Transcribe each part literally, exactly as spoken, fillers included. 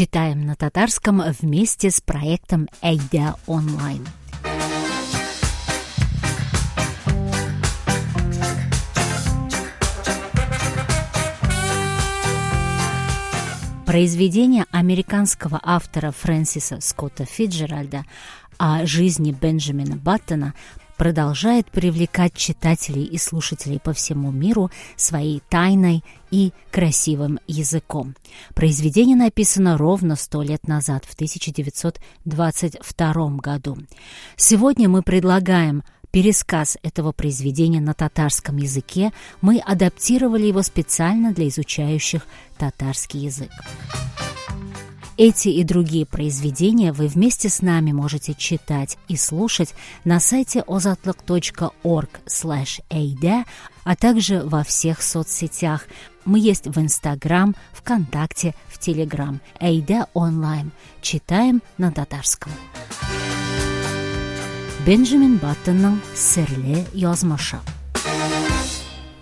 Читаем на татарском вместе с проектом «Әйдә онлайн». Произведение американского автора Фрэнсиса Скотта Фицджеральда о жизни Бенджамина Баттона продолжает привлекать читателей и слушателей по всему миру своей тайной и красивым языком. Произведение написано ровно сто лет назад, в тысяча девятьсот двадцать втором году. Сегодня мы предлагаем пересказ этого произведения на татарском языке. Мы адаптировали его специально для изучающих татарский язык. Эти и другие произведения вы вместе с нами можете читать и слушать на сайте озатлык точка орг слэш эйдэ, а также во всех соцсетях. Мы есть в Инстаграм, ВКонтакте, в Телеграм. Әйдә онлайн. Читаем на татарском. Бенджамин Баттонның серле язмышы.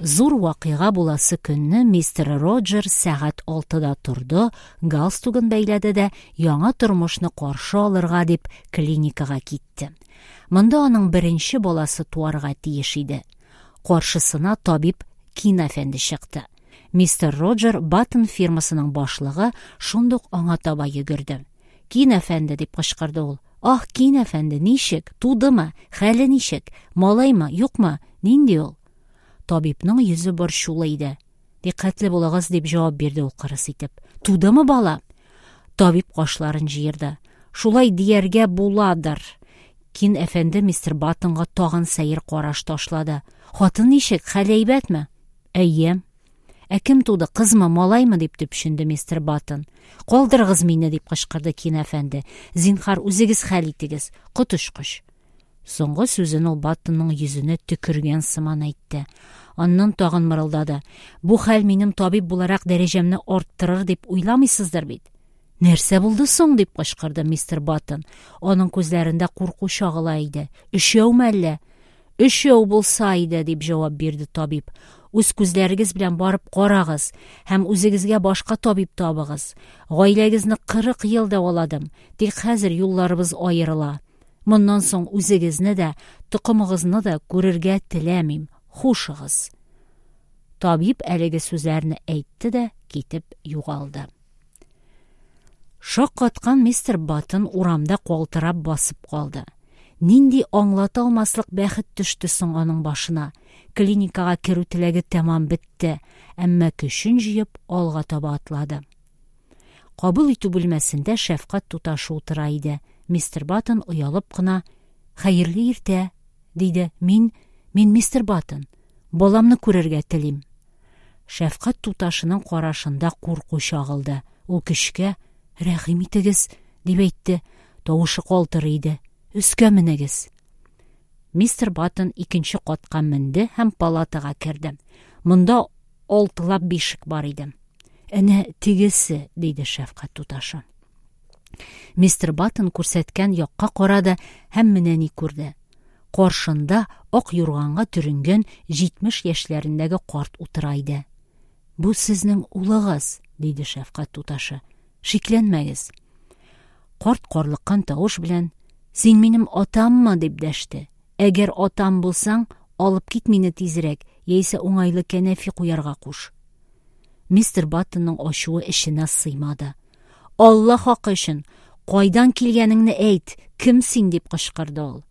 Зур вакыйга буласы көнне мистер Роджер сәгать алтыда торды, галстугын бәйләде дә яңа тормышны каршы алырга дип клиникага китте. Монда аның беренче баласы туарга тиеш иде. Каршысына табиб Кин әфәнде чыкты. Мистер Роджер Баттон фирмасының башлыгы шундук аңа таба йөгерде. Кин әфәнде дип кычкырды ул. Ах, Кин әфәнде, ничек? Тудымы? Хәле ничек? Малаймы, юкмы? Нинди ул? Табибның йөзе борчулы иде. Диккәтле булыгыз, дип җавап бирде ул кырыс итеп. Тудымы бала? Табиб кашларын җыерды. Шулай дияргә буладыр. Кин әфәнде мистер Баттонга тагын сәер караш ташлады. Хатын ничек? Хәле әйбәтме? Әйе. Ә кем туды? Кызмы, малаймы? Дип төпченде мистер Баттон. Калдырыгыз мине, дип кычкырды Кин әфәнде. Зинһар, үзегез хәл итегез. Коточкыч. Соңгы сүзен ул Баттонның йөзенә төкергән сыман әйтте. Аннан тагын мырылдады. Бу хәл минем табиб буларак дәрәҗәмне арттырыр дип уйламыйсыздыр бит. Нәрсә булды соң? Дип кычкырды мистер Баттон. Аның күзләрендә курку чагыла иде. Өчәүме әллә? Өчәү булса иде, дип җавап бирде табиб. Үз күзләрегез белән барып карагыз һәм үзегезгә башка табиб табыгыз. Гаиләгезне кырык ел дәваладым, тик хәзер юлларыбыз аерыла. Моннан соң үзегезне дә, токымыгызны да күрергә теләмим. Хушыгыз. Табиб әлеге сүзләрне әйтте дә китеп югалды. Шаккаткан мистер Баттон урамда калтырап басып калды. Нинди аңлата алмаслык бәхет төште соң аның башына. Клиникага керү теләге тәмам бетте, әмма көчен җыеп алга таба атлады. Кабул итү бүлмәсендә шәфкать туташы утыра иде. Мистер Баттон оялып кына: Хәерле иртә, диде. Мин, мин мистер Баттон. Баламны күрергә телим. Шәфкать туташының карашында курку чагылды. Ул көчкә: Рәхим итегез, дип әйтте. Тавышы калтырый иде. Өскә менегез. Мистер Баттон икенче катка менде һәм палатага керде. Монда алтылап бишек бар иде. Әнә тегесе, диде шәфкать туташы. Мистер Баттон күрсәткән якка карады һәм менә ни күрде. Каршында ак юрганга төренгән җитмеш яшьләрендәге карт утыра иде. Бу сезнең улыгыз, диде шәфкать туташы. Шикләнмәгез. Карт карлыккан тавыш белән: Син минем атаммы? Дип дәште. Әгәр атам булсаң, алып кит мине тизрәк, яисә уңайлы кәнәфи куярга куш. Мистер Баттонның ачуы эченә сыймады. Алла хакы өчен, кайдан килгәнеңне әйт, кем син? Дип кычкырды ул.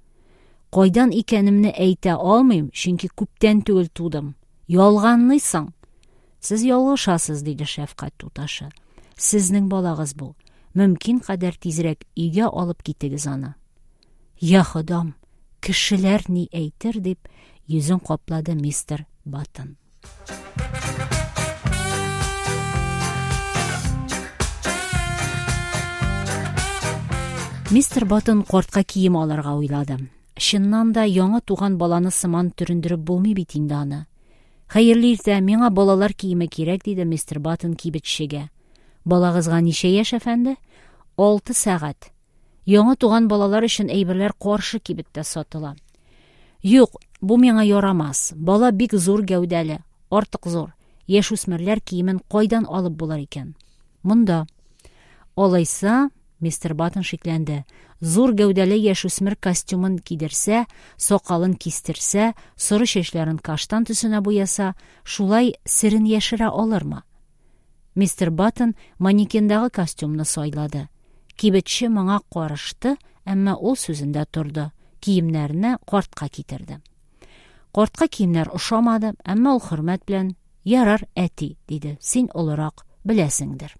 Кайдан икәнемне әйтә алмыйм, чөнки күптән түгел тудым. Ялганлыйсың. Сез ялгышасыз, диде шәфкать туташы. Сезнең балагыз бу. Мөмкин кадәр тизрәк өйгә алып китегез аны. Я Ходам, кешеләр ни әйтер, дип йөзен каплады мистер Баттон. Мистер Баттон картка кием алырга уйлады. Чыннан да яңа туган баланы сыман төрендереп булмый бит инде аны. Хәерле иртә, миңа балалар киеме кирәк, диде мистер Баттон кибетчегә. Балагызга ничә яшь, әфәнде? Алты сәгать. Яңа туган балалар өчен әйберләр каршы кибеттә сатыла. Юк, бу миңа ярамас. Бала бик зур гәүдәле, артык зур. Яшүсмерләр киемен кайдан алып булыр икән? Монда. Алайса, мистер Баттон шикләнде. Зур гәүдәле яшүсмер костюмын кидерсә, сакалын кистерсә, соры чәчләрен каштан төсенә буяса, шулай серен яшерә алырмы? Мистер Баттон манекендагы костюмны сайлады. Кибетче моңа карышты, әмма ул сүзендә торды. Киемнәрне картка китерде. Картка киемнәр ошамады, әмма ул хөрмәт белән: "Ярар, әти", диде. "Син олырак, беләсеңдер".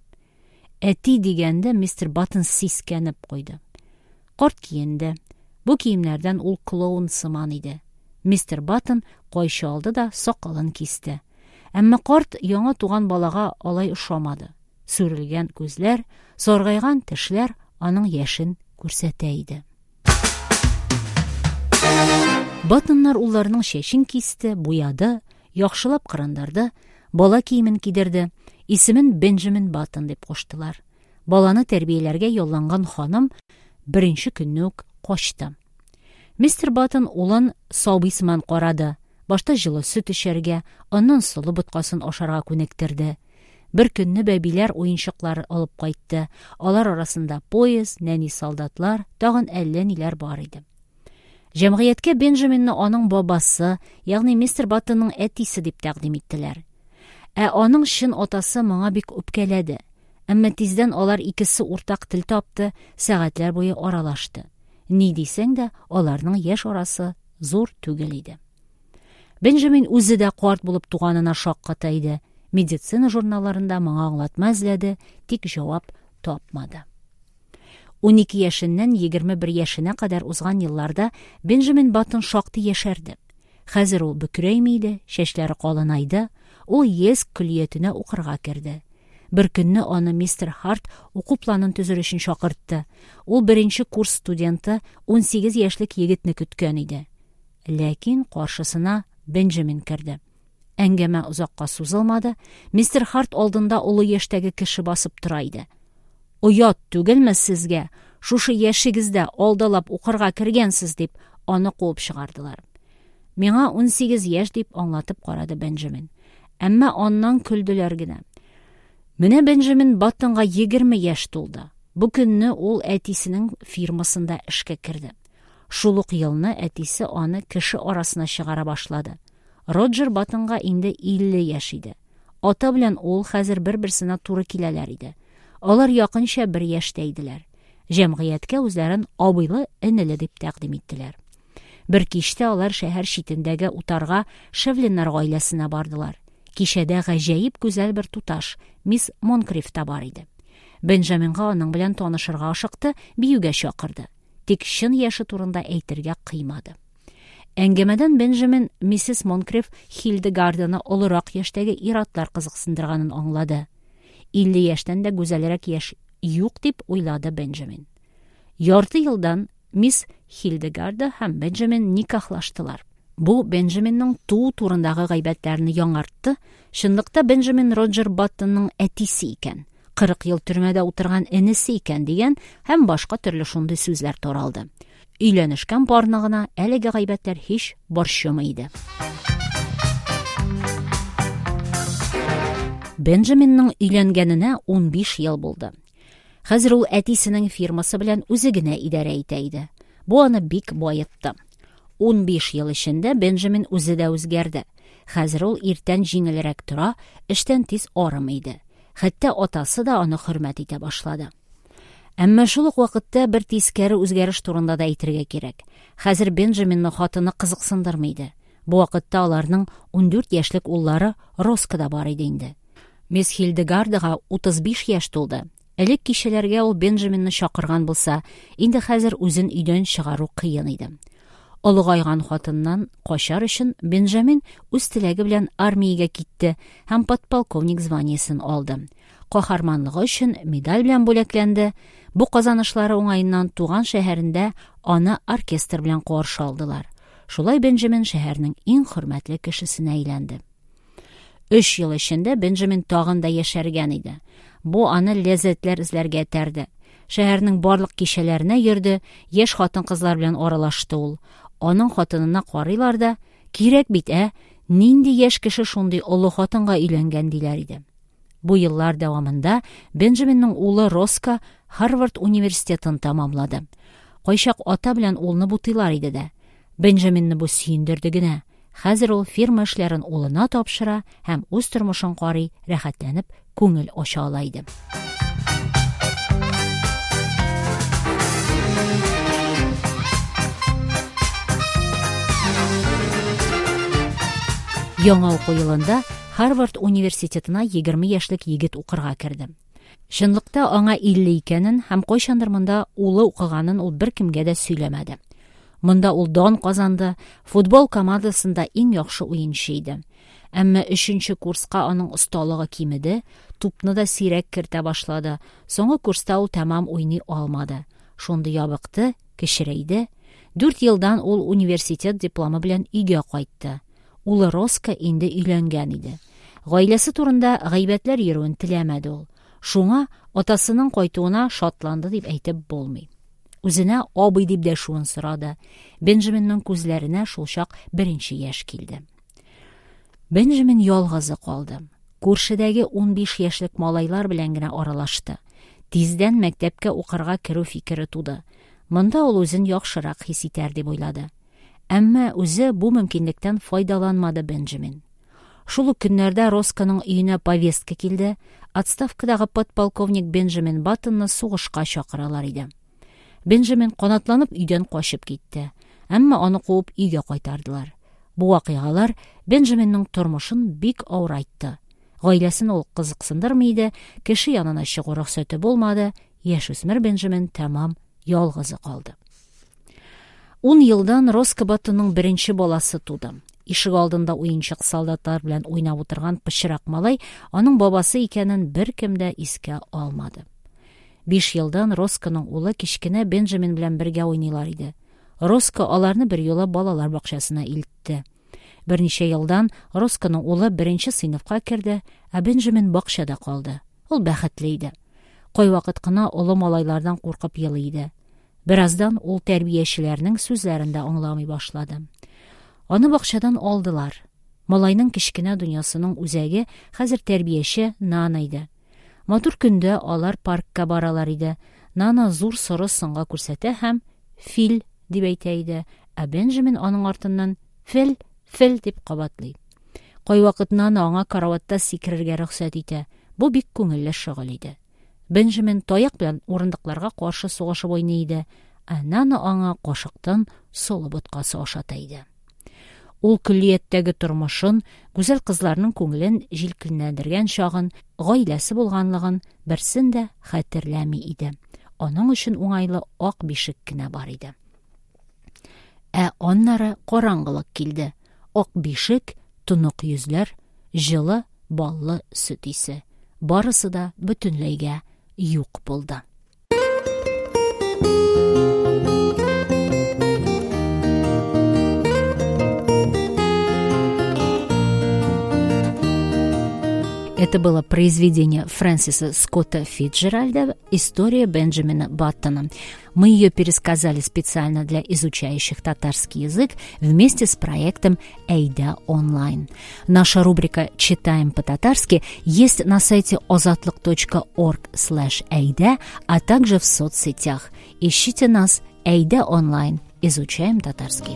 Әти дигәндә мистер Баттон сискәнеп куйды. Карт киенде. Бу киемнәрдән ул клоун сыман иде. Мистер Баттон кайчы алды да сакалын кисте. Әмма карт яңа туган балага алай ошамады. Сүрелгән күзләр, саргайган тешләр аның яшен күрсәтә иде. Баттоннар улларының чәчен кисте, буяды, яхшылап кырындырды, бала киемен кидерде, исемен Бенджамин Баттон дип куштылар. Баланы тәрбияләргә ялланган ханым беренче көнне үк качты. Мистер Баттон улын сабый сыман карады. Башта җылы сөт эчәргә, аннан солы боткасын ашарга күнектерде. Бер көнне бәбиләр уенчыклары алып кайтты. Алар арасында поезд, нәни солдатлар, тагын әллә ниләр бар иде. Җәмгыятькә Бенджаминны аның бабасы, ягъни мистер Баттонның әтисе дип тәкъдим иттеләр. Ә аның чын атасы моңа бик үпкәләде. Әмма тиздән алар икесе уртак тел тапты, сәгатьләр буе аралашты. Ни дисәң дә, аларның яшь арасы зур түгел иде. Бенджамин үзе дә карт булып туганына шакката иде. Медицина журналларында моңа аңлатма эзләде, тик җавап тапмады. Унике яшеннән егерме бер яшенә кадәр узган елларда Бенджамин Баттон шактый яшәрде. Хәзер ул бөкрәйми иде, чәчләре калынайды, ул Йельск көллиятенә укырга керде. Бер көнне аны мистер Харт уку планын төзер өчен чакыртты. Ул беренче курс студенты унсигез яшьлек егетне көткән иде. Ләкин каршысына Бенджамин керде. Әңгәмә озакка сузылмады. Мистер Харт алдында олы яшьтәге кеше басып тора иде. "Оят түгелме сезгә? Шушы яшегездә алдалап укырга кергәнсез", дип аны куып чыгардылар. "Миңа унсигез яшь", дип аңлатып карады Бенджамин. Әмма аннан көлделәр генә. Менә Бенджамин Баттонга егерме яшь тулды. Бу көнне ул әтисенең фирмасында эшкә керде. Шул ук елны әтисе аны кеше арасына чыгара башлады. Роджер Баттонга инде илле яшь иде. Ата белән ул хәзер бер-берсенә туры киләләр иде. Алар якынча бер яшьтә иделәр. Җәмгыятькә үзләрен абыйлы-энеле дип тәкъдим иттеләр. Бер кичтә алар шәһәр читендәге утарга Шевлиннар гаиләсенә бардылар. Кичәдә гаҗәеп гүзәл бер туташ, мисс Монкриф та бар иде. Бенджаминга аның белән танышырга ашыкты, биюгә чакырды. Тик чын яше турында әйтергә кыймады. Әңгәмәдән Бенджамин миссис Монкриф Хильдегарданы олырак яшьтәге ир-атлар кызыксындырганын аңлады. Илле яшьтән дә гүзәлрәк яшь юк дип уйлады Бенджамин. Ярты елдан мисс Хильдегарда һәм Бенджамин никахлаштылар. Бу Бенджаминның туу турындагы гайбәтләрне яңартты. Чынлыкта Бенджамин Роджер Баттонның әтисе икән, кырык ел төрмәдә утырган энесе икән дигән һәм башка төрле шундый сүзләр таралды. Өйләнешкән парны гына әлеге гайбәтләр һич борчымый иде. Бенджаминның өйләнгәненә унбиш ел булды. Хәзер ул әтисенең фирмасы белән үзе генә идарә итә иде. Бу аны бик баетты. Унбиш ел эчендә Бенджамин үзе дә үзгәрде. Хәзер ул иртән җиңелрәк тора, эштән тиз арымый иде. Хәтта атасы да аны хөрмәт итә башлады. Әмма шул ук вакытта бер тискәре үзгәреш турында да әйтергә кирәк. Хәзер Бенджаминны хатыны кызыксындырмый иде. Бу вакытта аларның ундүрт яшьлек уллары Роско да бар иде инде. Мисс Хильдегардага утыз биш яшь тулды. Элек кичәләргә ул Бенджаминны чакырган булса, инде хәзер үзен өйдән чыгару кыен иде. Олыгайган хатыннан качар өчен Бенджамин үз теләге белән армиягә китте һәм подполковник званиесен алды. Каһарманлыгы өчен медаль белән бүләкләнде. Бу казанышлары уңаеннан туган шәһәрендә аны оркестр белән каршы алдылар. Шулай Бенджамин шәһәрнең иң хөрмәтле кешесенә әйләнде. Өч ел эчендә Бенджамин тагын да яшәргән иде. Бу аны ләззәтләр эзләргә этәрде. Шәһәрнең барлык кичәләренә йөрде, яшь хатын-кызлар белән аралашты ул. Аның хатынына карыйлар да, кирәк бит, ә? Нинди яшь кеше шундый олы хатынга өйләнгән диләр иде. Бу еллар дәвамында Бенджаминның улы Роско Һарвард университетын тәмамлады. Кайчак ата белән улны бутыйлар иде дә. Бенджаминны бу сөендерде генә. Хәзер ул фирма эшләрен улына тапшыра һәм үз тормышын карый, рәхәтләнеп күңел ача ала иде. Яңа уку елында Һарвард университетына егерме яшьлек егет укырга керде. Чынлыкта аңа илле икәнен һәм кайчандыр монда улы укыганын ул беркемгә дә сөйләмәде. Монда ул дан казанды, футбол командасында иң яхшы уенчы иде. Әмма өченче курска аның осталыгы кимеде, тупны да сирәк кертә башлады. Соңгы курста ул тәмам уйный алмады. Шундый ябыкты, кечерәйде. Дүрт елдан ул университет дипломы белән өйгә кайтты. Улы Роско инде өйләнгән иде. Гаиләсе турында гайбәтләр йөрүен теләмәде ул. Шуңа атасының кайтуына шатланды дип әйтеп булмый. Үзенә абый дип дәшүен сорады. Бенджаминның күзләренә шулчак беренче яшь килде. Бенджамин ялгызы калды. Күршедәге унбиш яшьлек малайлар белән генә аралашты. Тиздән мәктәпкә укырга керү фикере туды. Монда ул үзен яхшырак хис итәр дип уйлады. Әмма үзе бу мөмкинлектән файдаланмады Бенджамин. Шул ук көннәрдә Росконың өенә повестка килде. Отставкадагы подполковник Бенджамин Баттонны сугышка чакыралар иде. Бенджамин канатланып өйдән качып китте. Әмма аны куып өйгә кайтардылар. Бу вакыйгалар Бенджаминның тормышын бик авырайтты. Гаиләсен ул кызыксындырмый иде, кеше янына чыгу рөхсәте булмады. Яшүсмер Бенджамин тәмам ялгызы калды. Ун елдан Роско Баттонның беренче баласы туды. Ишек алдында уенчык солдатлар белән уйнап утырган пычрак малай аның бабасы икәнен беркем дә искә алмады. Биш елдан Росконың улы кечкенә Бенджамин белән бергә уйныйлар иде. Роско аларны бер юлы балалар бакчасына илтте. Берничә елдан Росконың улы беренче сыйныфка керде, ә Бенджамин бакчада калды. Ул бәхетле иде. Кайвакыт кына олы малайлардан куркып елый иде. Бераздан ул тәрбиячеләрнең сүзләрен дә аңламый башлады. Аны бакчадан алдылар. Малайның кечкенә дөньясының үзәге хәзер тәрбияче Нана иде. Матур көндә алар паркка баралар иде. Нана зур соры сынга күрсәтә һәм «фил» дип әйтә иде, ә Бенджамин аның артыннан «фил, фил» дип кабатлый. Кайвакыт Нана аңа караватта сикерергә рөхсәт итә. Бу бик күңелле шөгыль иде. Бенджамин таяк белән урындыкларга каршы сугышып уйный иде, ә Нана аңа кашыктан солы боткасы ашата иде. Ул көллияттәге тормышын, гүзәл кызларның күңелен җилкенләндергән чагын, гаиләсе булганлыгын берсен дә хәтерләми иде. Аның өчен уңайлы ак бишек кенә бар иде. Ә аннары караңгылык килде. Ак бишек, тонык йөзләр, җылы, баллы сөт исе. Барысы да бөтенләйгә юк булды. Это было произведение Фрэнсиса Скотта Фицджеральда «История Бенджамина Баттона». Мы ее пересказали специально для изучающих татарский язык вместе с проектом «Әйдә онлайн». Наша рубрика «Читаем по-татарски» есть на сайте озатлык точка орг слэш әйдә, а также в соцсетях. Ищите нас «Әйдә онлайн». Изучаем татарский.